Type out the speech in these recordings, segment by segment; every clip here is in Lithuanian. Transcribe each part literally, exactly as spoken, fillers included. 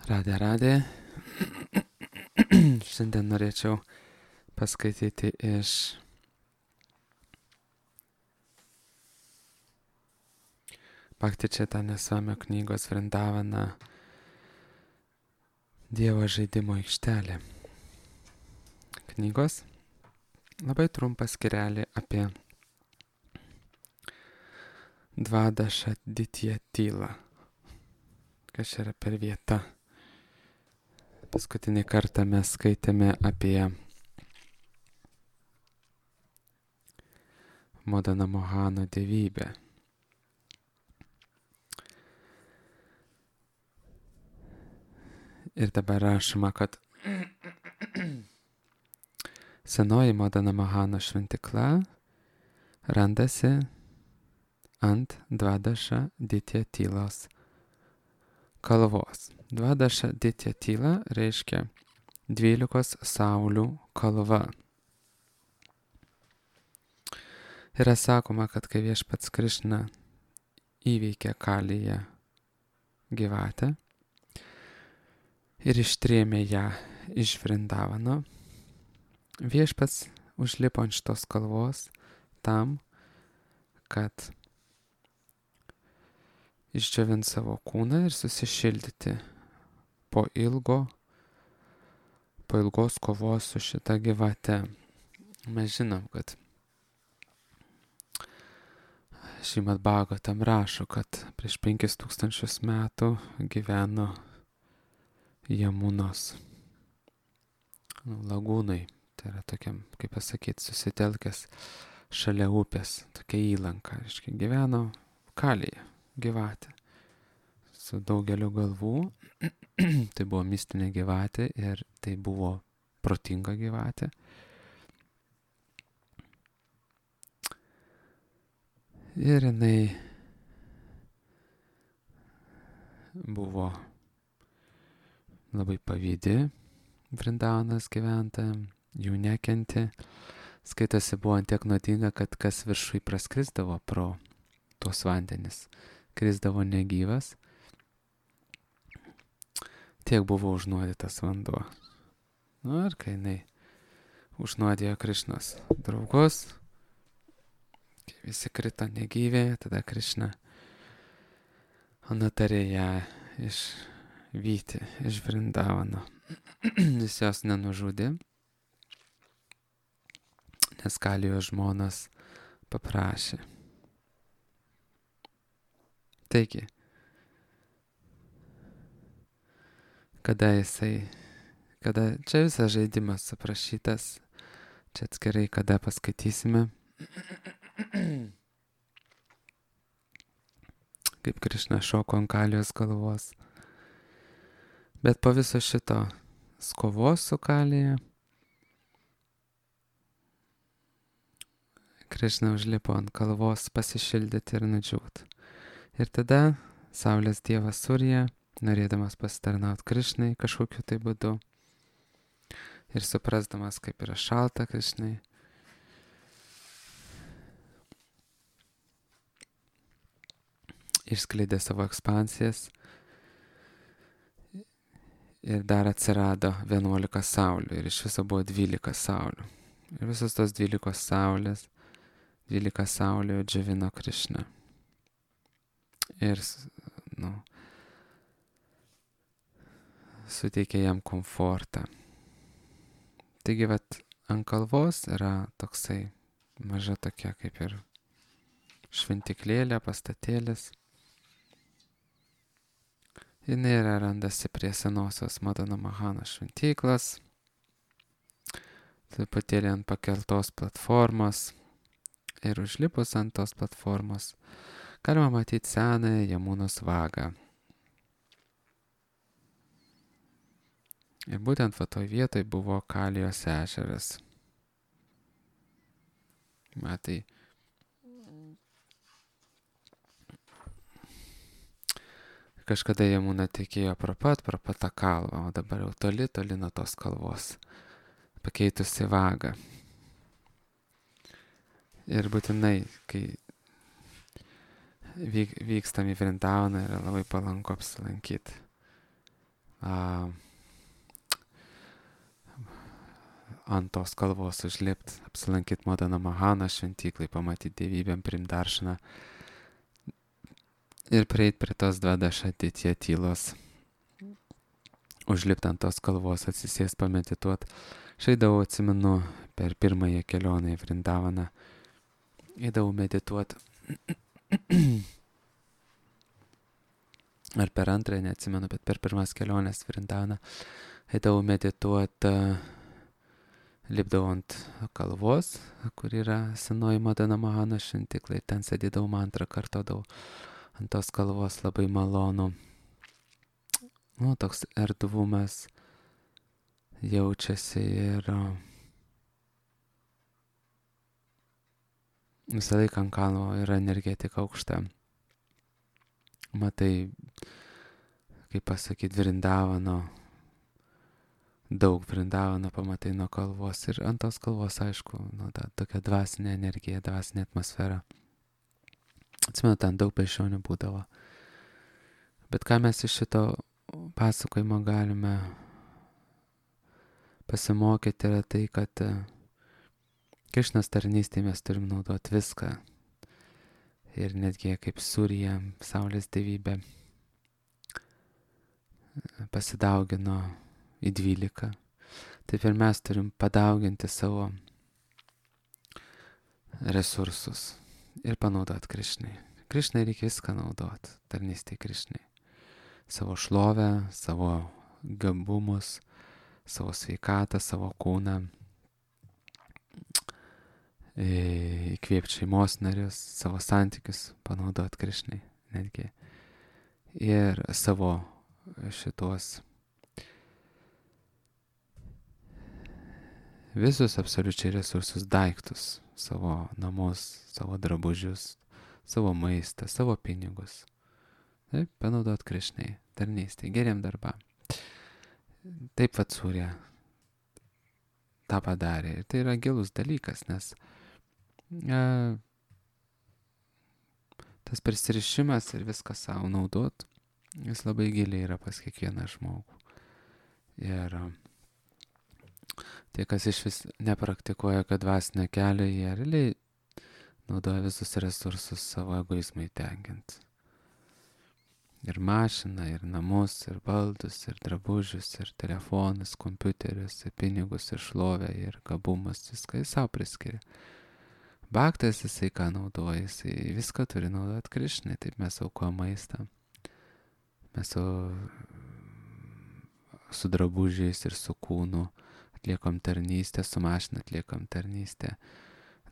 Radė, radė. Šiandien norėčiau paskaityti iš Bhakti Chaitanya Swamio knygos Vrindavana Dievo žaidimo aikštelė. Knygos labai trumpas skyrelį apie Dvadaša Ditya tylą. Kas yra per vieta? Paskutinį kartą mes skaitėme apie Modana Mohano dievybę. Ir dabar rašoma, kad senoji Modana Mohano šventikla randasi ant Dvadaša Ditya tylos kalvos. Dvadaša Ditya tyla reiškia dvylikos saulių kalva. Yra sakoma, kad kai Viešpats Krišna įveikė Kaliją gyvatę ir ištrėmė ją iš Vrindavano, Viešpats užlipo ant šitos kalvos tam, kad išdžiovint savo kūną ir susišildyti po ilgo, po ilgos kovos su šita gyvate. Mes žinom, kad Šrimad Bhagavatam rašo, kad prieš penkis tūkstančius metų gyveno Jamunos lagūnai. Tai yra tokiam, kaip pasakyti, susitelkęs šalia upės, tokia įlanka. Reiškia, gyveno Kalija gyvatė su daugeliu galvų. Tai buvo mistinė gyvatė ir tai buvo protinga gyvatė. Ir jinai buvo labai pavydi Vrindavanos gyventojams, jų nekentė. Skaitosi, buvo ant tiek nuodinga, kad kas viršui praskrisdavo pro tuos vandenis, krisdavo negyvas. Tiek buvo užnuodytas vanduo. Nu ir kai jinai užnuodėjo Krišnos draugus, kai visi krito negyvė, tada Krišna nutarė ją išvyti iš Vrindavano. Jis jos nenužudė, nes Kalijos žmonas paprašė. Taigi, kada jisai, kada čia visas žaidimas aprašytas, čia atskirai kada paskaitysime, kaip Krišna šoko ant Kalijos galvos. Bet po viso šito kovos su Kalija, Krišna užlipo ant kalvos pasišildyti ir nudžiūti. Ir tada Saulės dievas Surya, norėdamas pasitarnauti Krišnai kažkokiu tai būdu ir suprasdamas, kaip yra šalta Krišnai, išskleidė savo ekspansijas ir dar atsirado vienuolika saulių ir iš viso buvo dvylika saulių. Ir visos tos dvylikos saulės, dvylika saulių džiovino Krišną. Ir, nu, suteikė jam komfortą. Taigi, vat, ant kalvos yra toksai maža tokia kaip ir šventiklėlė, pastatėlis. Jis yra randasi prie senosios Modano Mohano šventyklos, truputėlį ant pakeltos platformos ir užlipus ant tos platformos galima matyti senąją Jamunos vagą. Ir būtent va toj vietoj buvo Kalijos ežeras. Matai, kažkada Jamuna tekėjo pro pat, pro pat tą kalvą, o dabar jau toli, toli nuo tos kalvos, pakeitusi vagą. Ir būtinai, kai vyk, vykstam į Vrindavaną, yra labai palanku apsilankyti. a, ant tos kalvos užlipti, apsilankyti Madana Mahana šventyklai, pamatyti dievybėm, priimti daršaną ir prieiti prie tos dvadašatitė tylos. Užlipti ant tos kalvos, atsisės pamedituoti. Šaidavau, atsimenu, per pirmąją kelionę į Vrindavaną. Eidavau medituoti. Ar per antrąją, neatsimenu, bet per pirmas keliones Vrindavaną. Eidavau medituoti, lipdavau ant kalvos, kur yra senoji Madana Mahana šventykla. Ten sėdėdavau, mantrą kartodavau. Ant tos kalvos labai malonu. Nu, toks erdvumas jaučiasi ir visą laiką ant kalno yra energetika aukšta. Matai, kaip pasakyti, Vrindavano, daug Vrindavano pamatai nuo kalvos ir ant tos kalvos, aišku, nu, ta, tokia dvasinė energija, dvasinė atmosfera. Atsimenu, ten daug beždžionių būdavo. Bet ką mes iš šito pasakojimo galime pasimokyti yra tai, kad Krišnos tarnystėje mes turim naudoti viską. Ir netgi kaip Surija, saulės dievybė, pasidaugino į dvylika. Taip ir mes turim padauginti savo resursus ir panaudoti Krišnai. Krišnai reikia viską naudoti, tarnystėje Krišnai. Savo šlovę, savo gabumus, savo sveikatą, savo kūną, įkvėpti šeimos narius, savo santykius panaudoti Krišnai netgi. Ir savo šitos visus absoliučiai resursus, daiktus, savo namus, savo drabužius, savo maistą, savo pinigus. Taip, panaudot Krišnai, tarnystėje, geriem darbam. Taip vat Surija tą padarė. Ir tai yra gilus dalykas, nes e, tas prisirišimas ir viską savo naudot, jis labai giliai yra pas kiekvieną žmogų. Ir tie, kas iš vis nepraktikuoja, kad dvasinę kelią, jie realiai naudoja visus resursus savo egoizmui tenkinti. Ir mašiną, ir namus, ir baldus, ir drabužius, ir telefonus, kompiuterius, ir pinigus, ir šlovę, ir gabumus, viską jis savo priskiria. Bhaktas jisai ką naudoja, jisai viską turi naudoti Krišnai, taip mes aukojam maistą. Mes su, su drabužiais ir su kūnu atliekam tarnystę, su mašina atliekam tarnystę.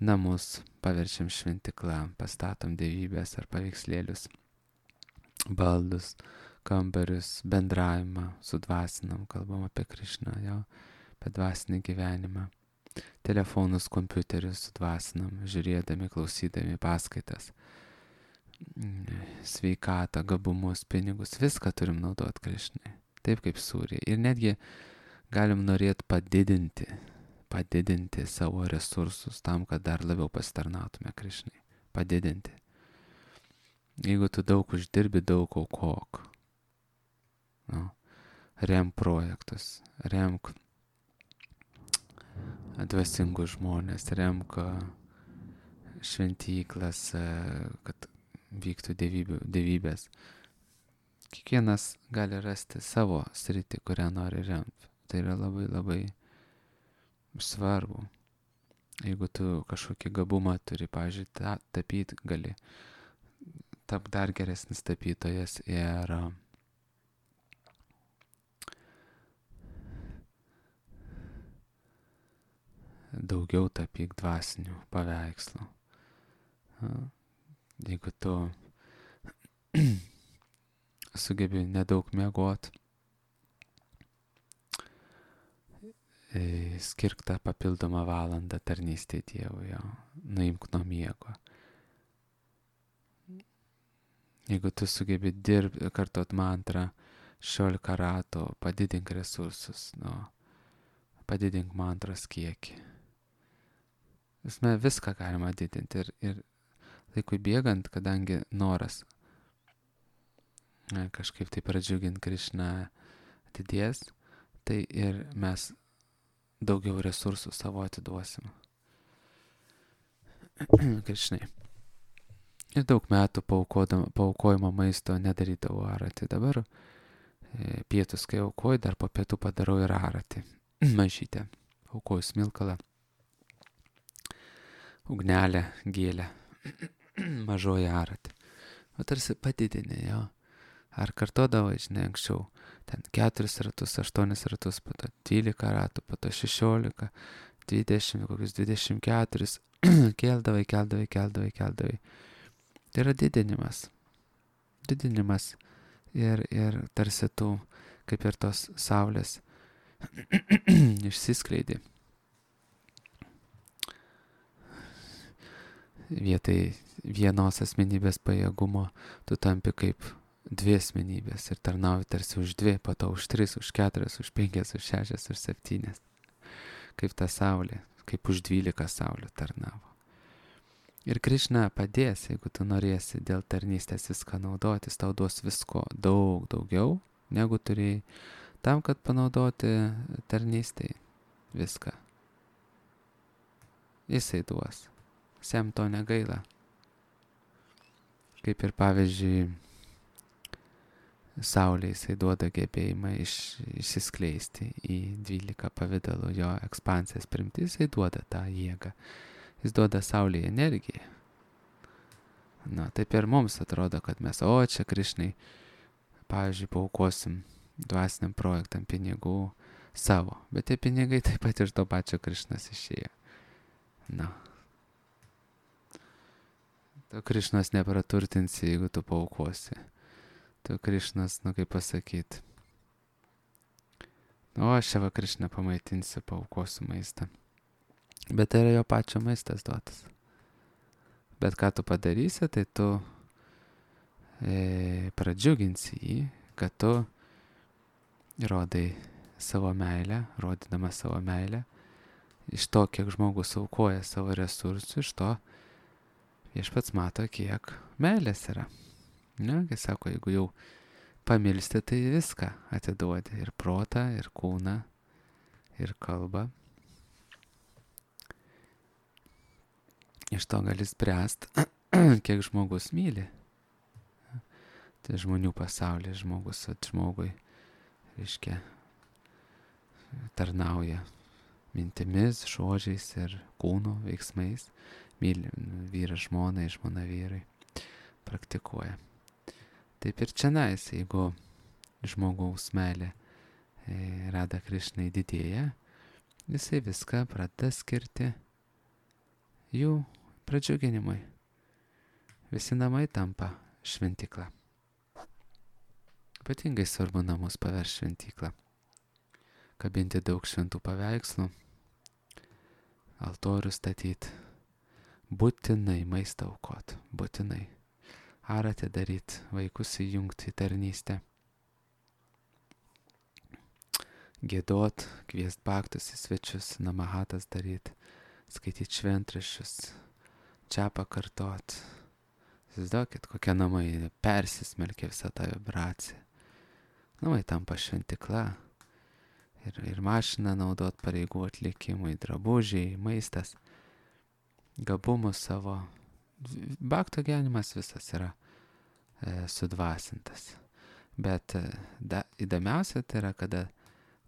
Namus paverčiam šventyklą, pastatom dievybės ar paveikslėlius. Baldus, kambarius, bendravimą sudvasinam, kalbam apie Krišną, jo, apie dvasinį gyvenimą. Telefonus, kompiuterius sudvasinam, žiūrėdami, klausydami paskaitas. Sveikatą, gabumus, pinigus, viską turim naudoti Krišnai. Taip kaip Surija. Ir netgi galim norėti padidinti, padidinti savo resursus tam, kad dar labiau pasitarnautume Krišnai. Padidinti. Jeigu tu daug uždirbi, daug aukok. No. Remk projektus, remk dvasingus žmonės, remk šventyklas, kad vyktų dievybių, dievybės. Kiekvienas gali rasti savo sritį, kurią nori remti. Tai yra labai labai svarbu. Jeigu tu kažkokį gabumą turi, pavyzdžiui, ta, tapyti gali, tap dar geresnis tapytojas ir daugiau tapyk dvasinių paveikslų. Jeigu tu sugebi nedaug miegot, skirk tą papildomą valandą tarnystei Dievui, nuimk nuo miego. Jeigu tu sugebi dirbti, kartot mantrą, šešiolika ratų, padidink resursus, nu, padidink mantros kiekį. Visme, viską galima didinti ir, ir laikui bėgant, kadangi noras ne, kažkaip tai pradžiuginti Krišną, atidės, tai ir mes daugiau resursų savo atiduosim. Krišnai. Ir daug metų paaukojimo maisto nedarydavau aratį. Dabar e, pietus, kai aukoju, dar po pietų padarau ir aratį. Mažytę. Aukoju smilkalą. Ugnelę, gėlę. Mažoji aratį. O tarsi padidinė, jo. Ar kartodavai, žinai, anksčiau. Ten keturis ratus, aštuonis ratus, po to dvylika ratų, po to šešiolika, dvidešimt, kokius dvidešimt keturis. Keldavai, keldavai, keldavai, keldavai. Tai yra didinimas. Didinimas. Ir, ir tarsi tu, kaip ir tos saulės, išsiskleidi. Vietai vienos asmenybės pajėgumo tu tampi kaip dvi asmenybės ir tarnauji tarsi už dvi, po to už tris, už keturias, už penkias, už šešias, už septynias. Kaip ta saulė, kaip už dvylika saulė tarnavo. Ir Krišna padės, jeigu tu norėsi dėl tarnystės viską naudotis, tau duos visko daug daugiau, negu turėjai, tam, kad panaudoti tarnystai viską. Jisai duos. Sem to negaila. Kaip ir pavyzdžiui, saulė jisai duoda gebėjimą iš, išsiskleisti į dvylika pavidalų, jo ekspansijas primti, jisai duoda tą jėgą. Jis duoda saulėje energiją. Na, taip ir mums atrodo, kad mes, o čia Krišnai, pavyzdžiui, paaukosim dvasiniam projektam pinigų savo, bet tie pinigai taip pat iš to pačio Krišnas išėjo. Na. Tu Krišnas nepraturtinsi, jeigu tu paaukosi. Tu Krišnas, nu kaip pasakyti. O aš čia va Krišną pamaitinsiu, paaukosiu maistą. Bet tai yra jo pačio maistas duotas. Bet ką tu padarysi, tai tu e, pradžiuginsi jį, kad tu rodai savo meilę, rodydamas savo meilę. Iš to, kiek žmogus aukoja savo resursų, iš to viešpats mato, kiek meilės yra. Ne, kai sako, jeigu jau pamilsti, tai viską atiduodi. Ir protą, ir kūną, ir kalbą. Iš to gali spręst, kiek žmogus myli. Tai žmonių pasaulyje žmogus at žmogui, reiškia, tarnauja mintimis, žodžiais ir kūno veiksmais. Myli vyras žmonai, žmona vyrai. Praktikuoja. Taip ir čionais, jeigu žmogaus meilė e, Rada Krišnai didėja, jisai viską pradeda skirti jų pradžiuginimui. Visi namai tampa šventykla. Ypatingai svarbu namus paversti šventyklą. Kabinti daug šventų paveikslų, altorių statyti, būtinai maistą aukot, būtinai. Ar atidaryt, vaikus įjungti į tarnystę. Giedot, kviest baktus į svečius, namahatas daryt, skaityt šventraščius, čia pakartot. Įsivaizduokit, kokie namai persismelkia visą tą vibraciją. Namai tampa šventykla. Ir, ir mašiną naudot pareigų atlikimui, drabužiai, maistas, gabumus savo. Bakto gyvenimas visas yra e, sudvasintas. Bet e, da, įdomiausia tai yra, kada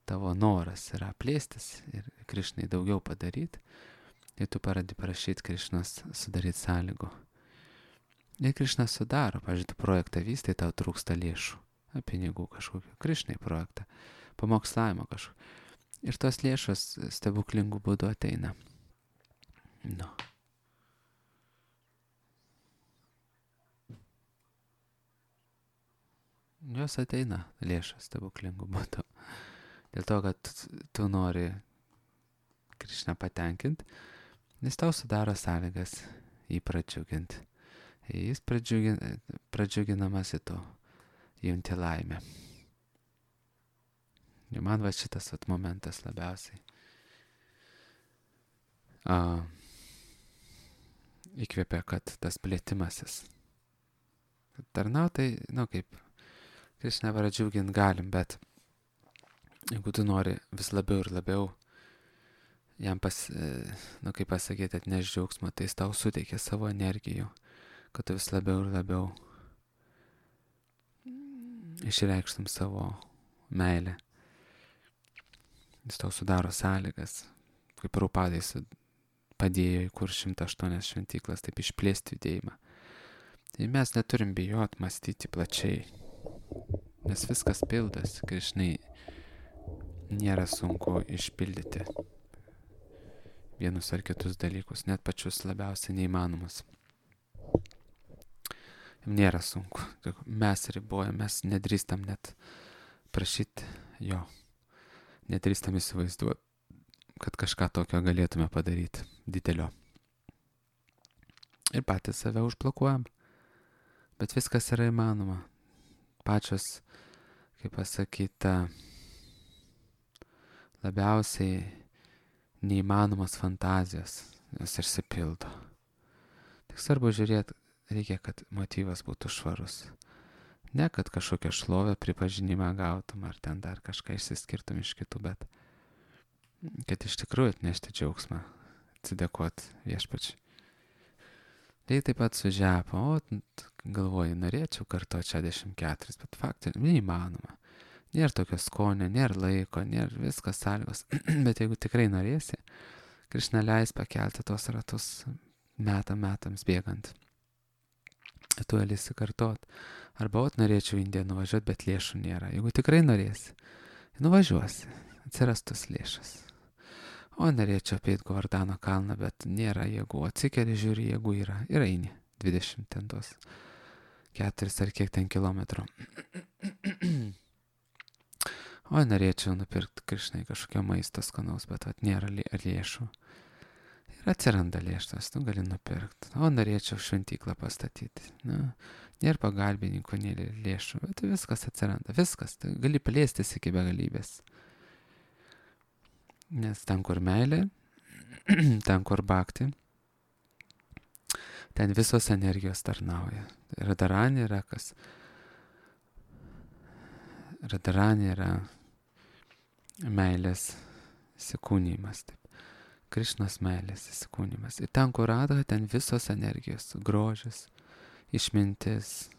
tavo noras yra plėstis ir Krišnai daugiau padaryti, ir tu pradedi prašyti Krišnos sudaryti sąlygų. Ir Krišnas sudaro, pavyzdžiui, tu projektą vystai, tau trūksta lėšų, pinigų kažkokio, Krišnai projektą, pamokslavimo kažkokio. Ir tos lėšos stebuklingų būdų ateina. Nu. Jos ateina lėšos stebuklingų būdų. Dėl to, kad tu nori Krišną patenkinti, jis tau sudaro sąlygas jį pradžiuginti. Jis pradžiugin, pradžiuginamas į to, junti laimę. Ir man va šitas vat momentas labiausiai a, įkvėpia, kad tas plėtimasis. Tarnautai, nu kaip, Krišną pradžiugint galim, bet jeigu tu nori vis labiau ir labiau jam pas, nu kaip pasakyti, atneš džiaugsmą, tai jis tau suteikia savo energijų, kad tu vis labiau ir labiau išreikštum savo meilę. Jis tau sudaro sąlygas, kaip Raupadai padėjo įkurti šimtas aštuonias šventyklas, taip išplėsti judėjimą. Tai mes neturim bijot mąstyti plačiai, nes viskas pildas, Krišnai nėra sunku išpildyti vienus ar kitus dalykus, net pačius labiausiai neįmanomus. Nėra sunku, mes ribojam, mes nedrįstam net prašyti jo, nedrįstam įsivaizduoti, kad kažką tokio galėtume padaryti didelio. Ir patys save užblokuojam, bet viskas yra įmanoma. Pačios, kaip pasakyta, labiausiai neįmanomas fantazijos, jos išsipildo. Tik svarbu žiūrėti, reikia, kad motyvas būtų švarus. Ne, kad kažkokią šlovę, pripažinimą gautum, ar ten dar kažką išsiskirtum iš kitų, bet kad iš tikrųjų atnešti džiaugsmą, atsidėkoti viešpačiui. Tai taip pat su žepa, o galvoju, norėčiau kartuoti šešiasdešimt keturis, bet faktai neįmanoma. Nėra tokio skonio, nėra laiko, nėra viskas sąlygos. Bet jeigu tikrai norėsi, Krišna leis pakelti tos ratus metam metams bėgant. Tu galėsi kartot. Arba ot norėčiau Indiją nuvažiuoti, bet lėšų nėra. Jeigu tikrai norėsi, nuvažiuosi, atsirastus lėšas. O norėčiau apeit Govardhano kalną, bet nėra jėgų. Atsikeli, žiūri, jėgų yra. Ir eini. dvidešimt ten tos. Keturis ar kiek ten kilometrų. O norėčiau nupirkti Krišnai kažkokio maisto skanaus, bet vat, nėra lėšų. Ir atsiranda lėšas, tu gali nupirkti. O norėčiau šventyklą pastatyti. Na, nėra pagalbininkų, nėra lėšų, bet viskas atsiranda. Viskas. Tu gali plėstis iki begalybės. Nes ten, kur meilė, ten, kur bhakti, ten visos energijos tarnauja. Radharani yra kas? Radharani yra meilės įsikūnymas. Taip. Krišnos meilės įsikūnymas. Ir ten, kur Radha, ten visos energijos. Grožis, išmintis,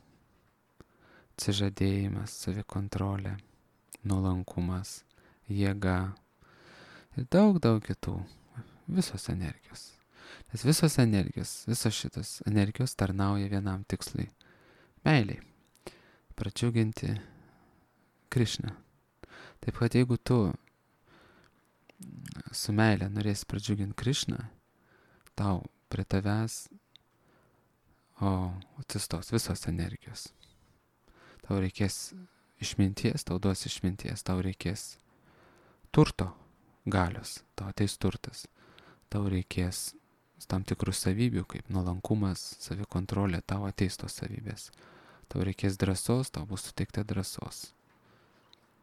atsižadėjimas, savikontrolė, nuolankumas, jėga. Ir daug, daug kitų. Visos energijos. Nes visos energijos, visos šitos energijos tarnauja vienam tikslui. Meiliai. Pradžiuginti Krišną. Taip kad jeigu tu su meilė norėsi pradžiuginti Krišną, tau prie tavęs o atsistos visos energijos. Tau reikės išminties, tau duos išminties, tau reikės turto. Galios, tau ateis turtas, tau reikės tam tikrų savybių, kaip nuolankumas, savikontrolė, tau ateis tos savybės. Tau reikės drąsos, tau bus suteikta drąsos.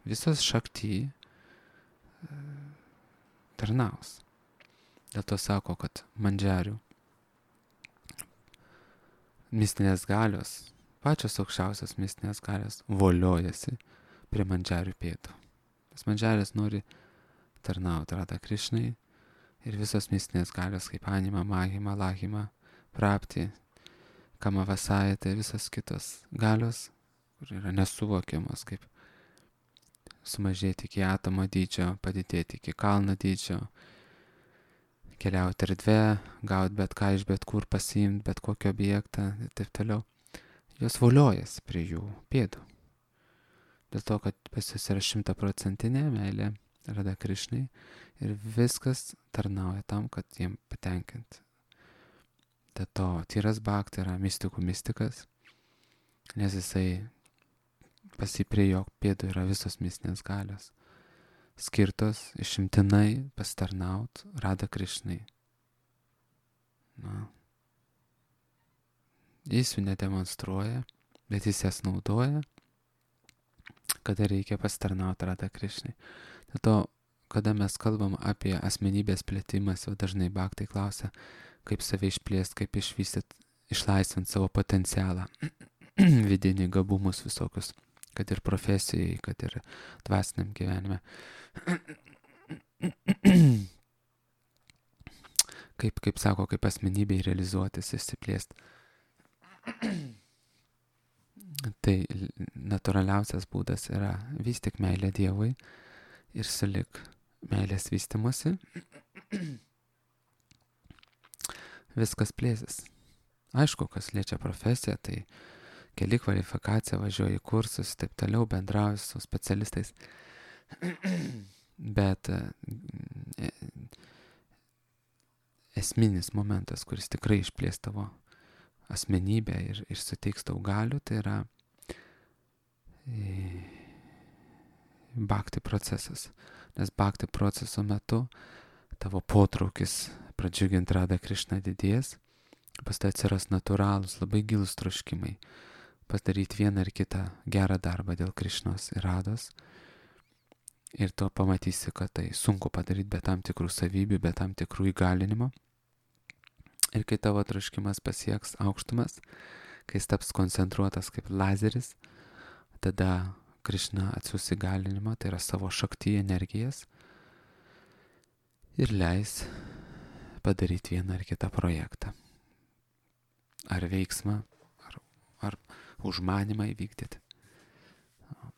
Visas šakti tarnaus. Dėl to sako, kad mandžiarių mistinės galios, pačios aukščiausios mistinės galios voliojasi prie mandžiarių pėdų. Tas mandžiaris nori tarnauti Radha Krišnai ir visos mistinės galios kaip anima, mahima, lahima, prapti, kamavasai, tai visas kitos galios, kur yra nesuvokiamos, kaip sumažėti iki atomo dydžio, padidėti iki kalno dydžio, keliauti erdvę, gauti bet ką iš bet kur, pasiimti bet kokį objektą ir taip toliau. Jos voliojasi prie jų pėdų. Dėl to, kad pas jūs yra šimtaprocentinė meilė Radha Krišnai ir viskas tarnauja tam, kad jiem patenkinti. Dėl to tyras bhakti yra mistikų mistikas, nes jisai pasiprie jo pėdų yra visos mistinės galios, skirtos išimtinai pasitarnaut Radha Krišnai. Na. Jis jų nedemonstruoja, bet jis jas naudoja, kada reikia pasitarnauti Radha Krišnai. Dėl to, kada mes kalbam apie asmenybės plėtimas, jau dažnai bhaktai klausia, kaip save išplėsti, kaip išvystyti, išlaisvinti savo potencialą, vidinį gabumus visokius, kad ir profesijai, kad ir dvasiniam gyvenime. Kaip, kaip sako, kaip asmenybei realizuotis, išsiplėsti. Tai natūraliausias būdas yra vystyk meilę Dievui ir sulik meilės vystimuose. Viskas plėsis. Aišku, kas liečia profesiją, tai keli kvalifikaciją, važiuoji į kursus, taip toliau, bendrauji su specialistais. Bet e, esminis momentas, kuris tikrai išplės tavo asmenybę ir, ir suteiks tau galių, tai yra e, bhakti procesas. Nes bhakti proceso metu tavo potraukis pradžiuginti Radha Krišną didės, pas tai atsiras natūralūs, labai gilūs troškimai padaryti vieną ar kitą gerą darbą dėl Krišnos ir Radhos. Ir tu pamatysi, kad tai sunku padaryti be tam tikrų savybių, be tam tikrų įgalinimo. Ir kai tavo troškimas pasieks aukštumas, kai jis taps koncentruotas kaip lazeris, tada Krišna atsiųs įgalinimą, tai yra savo šakti energijas, ir leis padaryti vieną ar kitą projektą. Ar veiksmą, ar, ar užmanymą įvykdyti.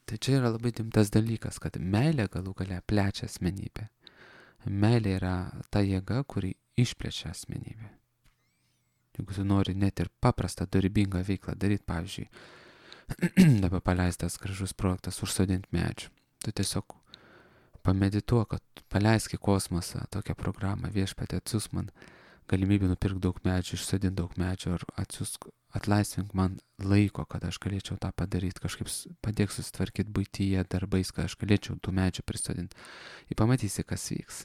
Tai čia yra labai rimtas dalykas, kad meilė galų gale plečia asmenybę. Meilė yra ta jėga, kuri išplečia asmenybę. Jeigu tu nori net ir paprastą dorybingą veiklą daryti, pavyzdžiui, dabar paleistas gražus projektas užsodinti medžių, tu tiesiog pamedituok, kad paleisk į kosmosą tokią programą, Viešpatie atsiųsk man galimybę nupirkti daug medžių, išsodinti daug medžių, ar atsiųsk, atlaisvink man laiko, kad aš galėčiau tą padaryti, kažkaip padėk susitvarkyti buityje darbais, kad aš galėčiau tų medžių prisodinti. Ir pamatysi, kas vyks.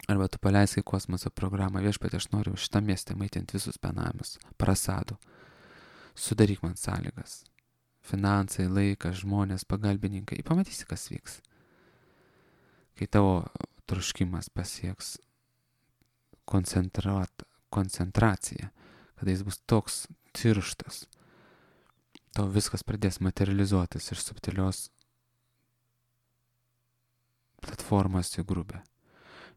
Arba tu paleisk į kosmoso programą, Viešpatie, aš noriu šitą miestą maitinti visus benamis, prasadų. Sudaryk man sąlygas. Finansai, laikas, žmonės, pagalbininkai. Ir pamatysi, kas vyks. Kai tavo troškimas pasieks koncentraciją, kada jis bus toks tirštas, tau viskas pradės materializuotis iš subtilios platformos į grubę.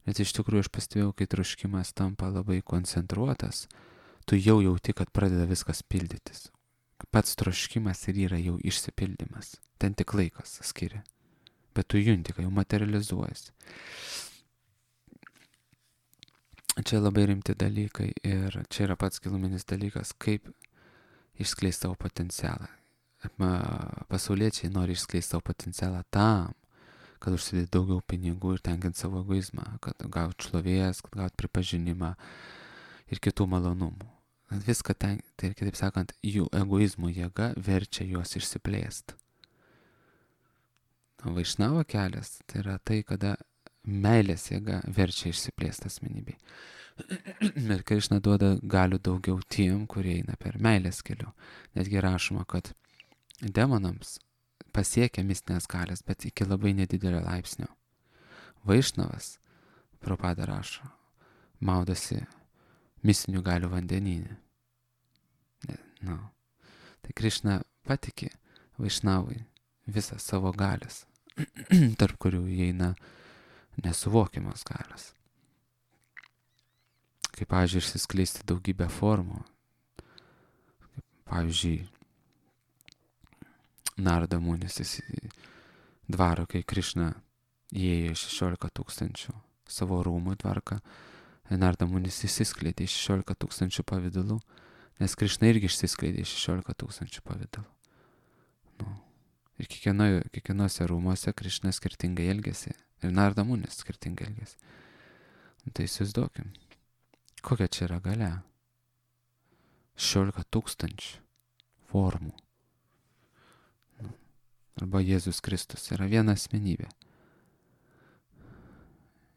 Nes iš tikrųjų aš pastebėjau, kai troškimas tampa labai koncentruotas, tu jau jauti, kad pradeda viskas pildytis. Pats troškimas ir yra jau išsipildymas. Ten tik laikas skiria. Bet tu junti, kad jau materializuojasi. Čia labai rimti dalykai ir čia yra pats giluminis dalykas, kaip išskleisti savo potencialą. Pasauliečiai nori išskleisti savo potencialą tam, kad užsidėti daugiau pinigų ir tenkinti savo egoizmą, kad gauti šlovės, kad gauti pripažinimą ir kitų malonumų. Viską ten, tai kitaip sakant, jų egoizmo jėga verčia juos išsiplėsti. Vaišnavo kelias tai yra tai, kada meilės jėga verčia išsiplėsti asmenybei. Ir Krišna duoda galių daugiau tiem, kurie eina per meilės keliu. Netgi rašoma, kad demonams pasiekia mistinės galės, bet iki labai nedidelio laipsnio. Vaišnavas, Prabhupada rašo, maudosi mistinių galių vandenyne. No. Tai Krišna patiki Vaišnavui visą savo galės, tarp kurių įeina nesuvokiamas galios. Kaip, pavyzdžiui, išsiskleisti daugybę formų. Kaip, pavyzdžiui, Narada Munis į dvarą, kai Krišna įėjo šešiolika tūkstančių savo rūmų tvarką, Narada Munis išsiskleidė šešiolika tūkstančių pavydalų, nes Krišna irgi išsiskleidė šešiolika tūkstančių pavydalų. Nu. Ir kiekvieno, kiekvienose rūmose Krišna skirtingai elgėsi. Ir Narada Munis skirtingai elgėsi. Tai įsivaizduokim, kokia čia yra galia. šešiolika tūkstančių formų. Arba Jėzus Kristus yra viena asmenybė.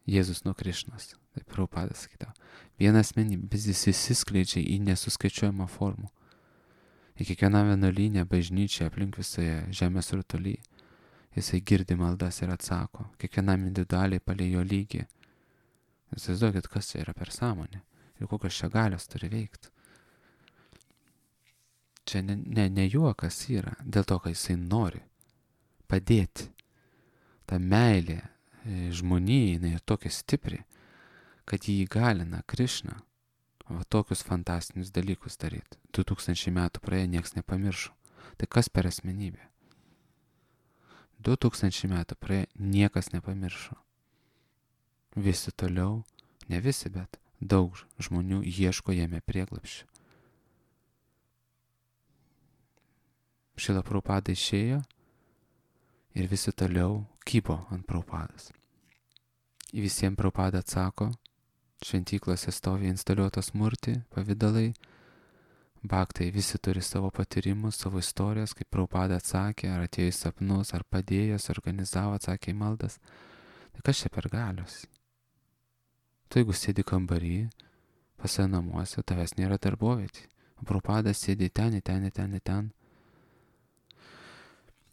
Jėzus nuo Krišnos. Taip Prabhupada sakydavo. Viena asmenybė, bet jis įsiskleidžia į nesuskaičiuojamą formų. Į kiekvieną vienuolynę, bažnyčią, aplink visoje žemės rutulyje. Jisai girdi maldas ir atsako. Kiekvienam individualiai palei jo lygį. Įsivaizduokit, kas čia yra per sąmonė. Ir kokios čia galios turi veikti. čia ne, ne, ne juokas yra, dėl to, kad jisai nori padėti. Ta meilė žmonijai, jinai yra tokia stipri, kad jį įgalina Krišna va tokius fantastinius dalykus daryti. Du tūkstančiai metų praėjo, nieks nepamiršo. Tai kas per asmenybė? Du tūkstančiai metų praėjo, niekas nepamiršo. Visi toliau, ne visi, bet daug žmonių ieško jame prieglapščio. Šila Prabhupada išėjo ir visi toliau kybo ant Prabhupados. Į visiems Prabhupada atsako, šventyklose stovi instaliuotos murti, pavidalai, baktai visi turi savo patyrimus, savo istorijas, kaip Prabhupada atsakė, ar atėjo į sapnus, ar padėjęs, organizavo, atsakė į maldas. Tai kas čia per galios? Tu jeigu sėdi kambarį, pas save namuose, tavęs nėra darbovietė. Prabhupada sėdi ten, ten, ten, ten.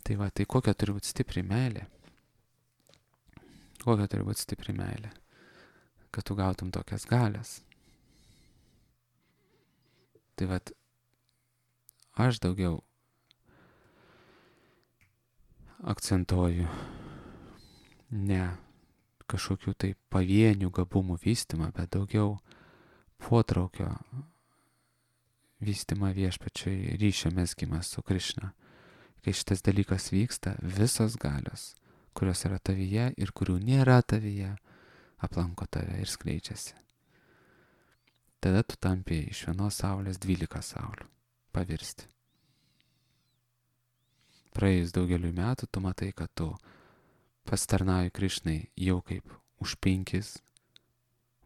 Tai va, tai kokia turi būti stipri meilė? Kokia turi būti stipri meilė? Kad tu gautum tokias galias. Tai va, aš daugiau akcentuoju ne kažkokių tai pavienių gabumų vystymą, bet daugiau potraukio vystymą viešpačiui, ryšio mezgimą su Krišna. Kai šitas dalykas vyksta, visos galios, kurios yra tavyje ir kurių nėra tavyje, aplanko tave ir skleidžiasi. Tada tu tampi iš vienos saulės dvylika saulių pavirsti. Praėjus daugeliu metų, tu matai, kad tu pasitarnauji Krišnai jau kaip už penkis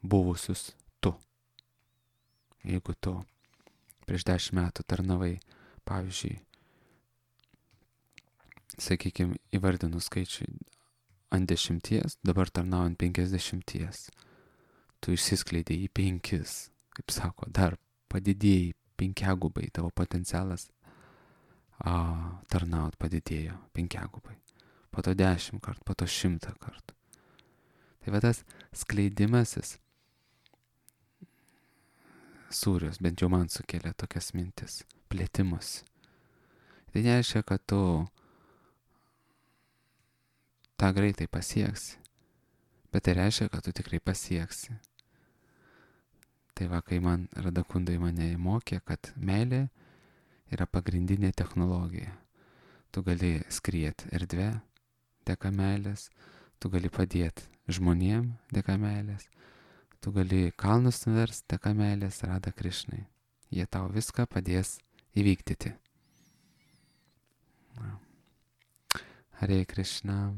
buvusius tu. Jeigu tu prieš dešimt metų tarnavai, pavyzdžiui, sakykime, įvardinu skaičių ant dešimties, dabar tarnaujant penkiasdešimties. Tu išsiskleidai į penkis, kaip sako, dar padidėjai penkiagubai, tavo potencialas a, tarnaut padidėjo penkiagubai. Po to dešimt kart, po to šimtą kart. Tai va tas skleidimasis sūrius, bent jau man sukelia tokias mintis, plėtimus. Tai nereiškia, kad tu tą greitai pasieksi, bet tai reiškia, kad tu tikrai pasieksi. Tai va, kai man Radakundai mane mokė, kad meilė yra pagrindinė technologija. Tu gali skrieti erdvę dėka meilės, tu gali padėti žmonėm dėka meilės, tu gali kalnus nuversti dėka meilės, Rada Krišnai. Jie tau viską padės įvykdyti. Hare Krishna.